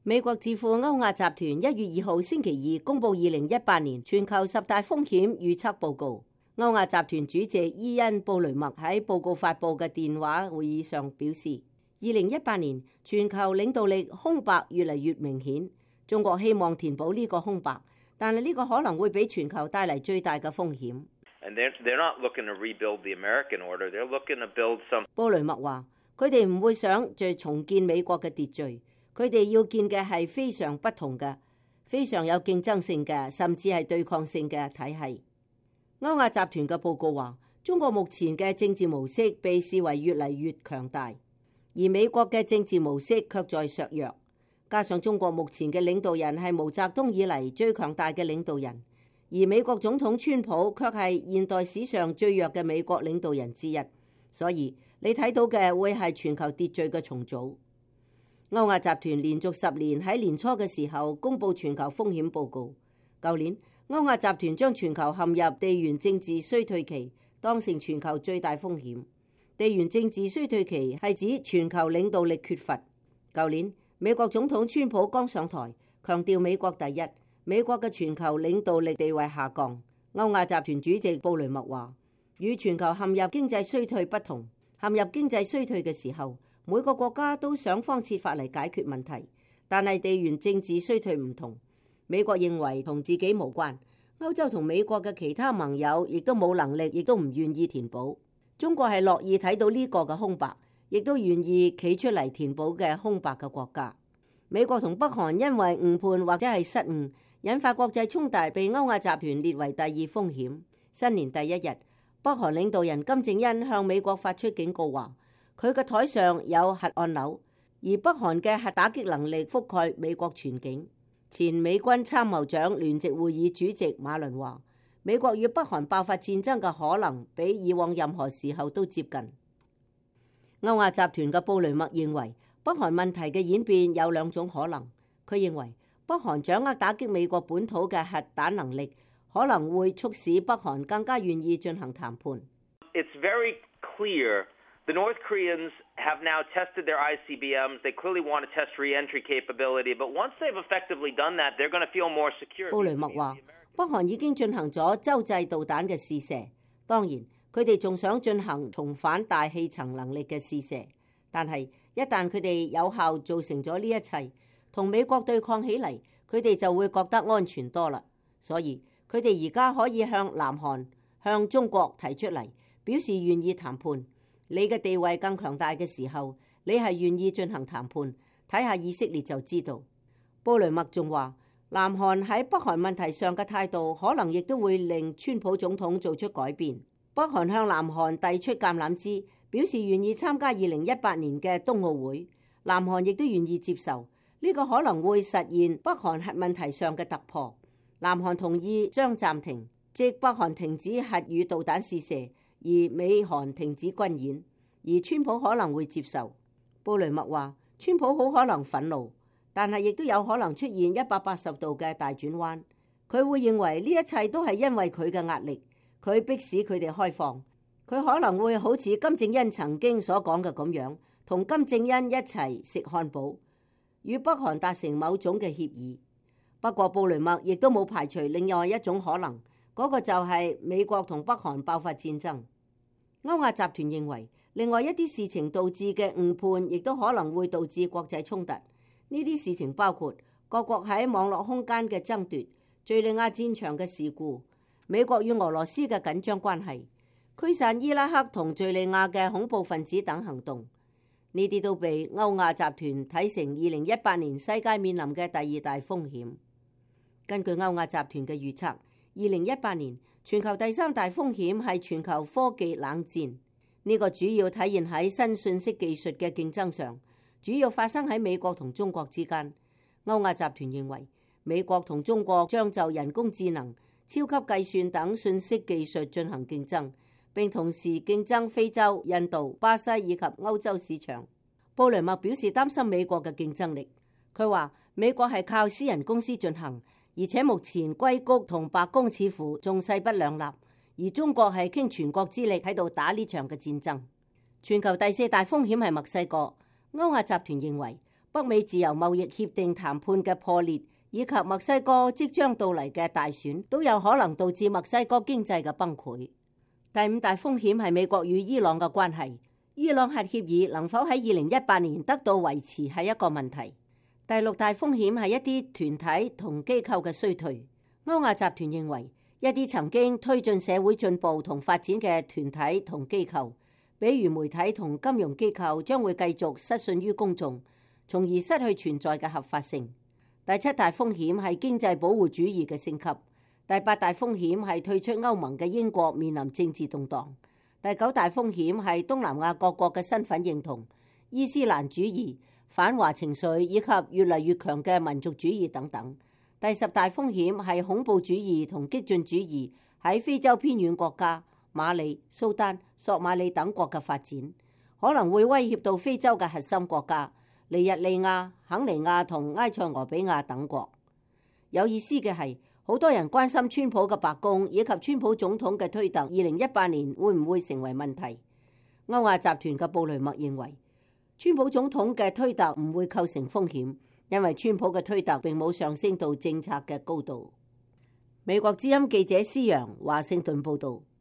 美國智庫歐亞集團1月2號星期二公布2018年全球10大風險預測報告。歐亞集團主席伊恩布雷默喺報告發佈嘅電話會議上表示，2018年全球領導力空白越嚟越明顯，中國希望填補呢個空白，但係呢個可能會俾全球帶嚟最大嘅風險。布雷默話：佢哋唔會想再重建美國嘅秩序。佢哋要建嘅係非常不同嘅、非常有競爭性嘅，甚至係對抗性嘅體系。歐亞集團嘅報告話，中國目前嘅政治模式被視為越嚟越強大，而美國嘅政治模式卻在削弱。加上中國目前嘅領導人係毛澤東以嚟最強大嘅領導人，而美國總統川普卻係現代史上最弱嘅美國領導人之一。所以你睇到嘅會係全球秩序嘅重組。歐亞集團連續10年喺年初嘅時候公布全球風險報告。舊年歐亞集團將全球陷入地緣政治衰退期當成全球最大風險。地緣政治衰退期係指全球領導力缺乏。舊年美國總統川普剛上台，強調美國第一，美國嘅全球領導力地位下降。歐亞集團主席布雷默話：與全球陷入經濟衰退不同，陷入經濟衰退嘅時候，每個國家都想方設法嚟解決問題，但係地緣政治衰退唔同。美國認為同自己無關，歐洲同美國嘅其他盟友亦都冇能力，亦都唔願意填補。中國係樂意睇到呢個嘅空白，亦都願意企出嚟填補嘅空白嘅國家。美國同北韓因為誤判或者係失誤，引發國際衝突，被歐亞集團列為第二風險。新年第一日，北韓領導人金正恩向美國發出警告話，佢嘅台上有核按鈕，而北韓嘅核打擊能力覆蓋美國全境。前美軍參謀長聯席會議主席馬倫話，美國與北韓爆發戰爭嘅可能比以往任何時候都接近。歐亞集團嘅布雷默認為，北韓問題嘅演變有2種可能。佢認為北韓掌握打擊美國本土嘅核彈能力，可能會促使北韓更加願意進行談判。It's very clear.The North Koreans have now tested their ICBMs. They clearly want to test re-entry capability, but once they've effectively done that, they're going to feel more secure. 布雷默話，北韓已經進行咗洲際導彈嘅試射，當然佢哋仲想進行重返大氣層能力嘅試射，但係一旦佢哋有效做成咗呢一切，同美國對抗起嚟，佢哋就會覺得安全多啦。所以佢哋而家可以向南韓、向中國提出嚟，表示願意談判。你嘅地位更強大嘅時候，你係願意進行談判。睇下以色列就知道。布雷默仲話，南韓喺北韓問題上嘅態度可能亦都會令川普總統做出改變。北韓向南韓遞出橄欖枝，表示願意參加2018年嘅冬奧會。南韓亦都願意接受呢個可能會實現北韓核問題上嘅突破。南韓同意將暫停，即北韓停止核與導彈試射，而美韓停止軍演，而川普可能會接受。布雷默話，川普好可能憤怒，但係亦都有可能出現180度嘅大轉彎。佢會認為呢一切都係因為佢嘅壓力，佢迫使佢哋開放。佢可能會好似金正恩曾經所講嘅咁樣，同金正恩一齊食漢堡，與北韓達成某種嘅協議。不過布雷默亦都冇排除另外一種可能，嗰個就係美國同北韓爆發戰爭。歐亞集團認為，另外一啲事情導致嘅誤判，亦都可能會導致國際衝突。呢啲事情包括各國喺網絡空間嘅爭奪、敘利亞戰場嘅事故、美國與俄羅斯嘅緊張關係、驅散伊拉克同敘利亞嘅恐怖分子等行動。呢啲都被歐亞集團睇成2018年世界面臨嘅第2大風險。根據歐亞集團嘅預測，2018年全球第3大風險係全球科技冷戰，呢個主要體現喺新信息技術嘅競爭上，主要發生喺美國同中國之間。歐亞集團認為，美國同中國將就人工智能、超級計算等信息技術進行競爭，並同時競爭非洲、印度、巴西以及歐洲市場。布雷默表示擔心美國嘅競爭力，佢話美國係靠私人公司進行，而且目前硅谷同白宮似乎仲勢不兩立，而中國係傾全國之力喺度打呢場嘅戰爭。全球第4大風險係墨西哥。歐亞集團認為北美自由貿易協定談判嘅破裂，以及墨西哥即將到嚟嘅大選，都有可能導致墨西哥經濟嘅崩潰。第五大風險係美國與伊朗嘅關係。伊朗核協議能否喺2018年得到維持係一個問題。第六大風險係一啲團體同機構嘅衰退。歐亞集團認為，一啲曾經推進社會進步同發展嘅團體同機構，比如媒體同金融機構，將會繼續失信於公眾，從而失去存在嘅合法性。第七大風險係經濟保護主義嘅升級。第八大風險係退出歐盟嘅英國面臨政治動盪。第九大風險係東南亞各國嘅身份認同、伊斯蘭主義、反華情緒以及越嚟越強嘅民族主義等等。第十大風險係恐怖主義同激進主義喺非洲偏遠國家馬里、蘇丹、索馬里等國嘅發展，可能會威脅到非洲嘅核心國家尼日利亞、肯尼亞同埃塞俄比亞等國。有意思嘅係，好多人關心川普嘅白宮以及川普總統嘅推特2018年會唔會成為問題。歐亞集團嘅布雷默認為，川普總統嘅推特唔會構成風險，因為川普嘅推特並冇上升到政策嘅高度。美國之音記者施揚華盛頓報導。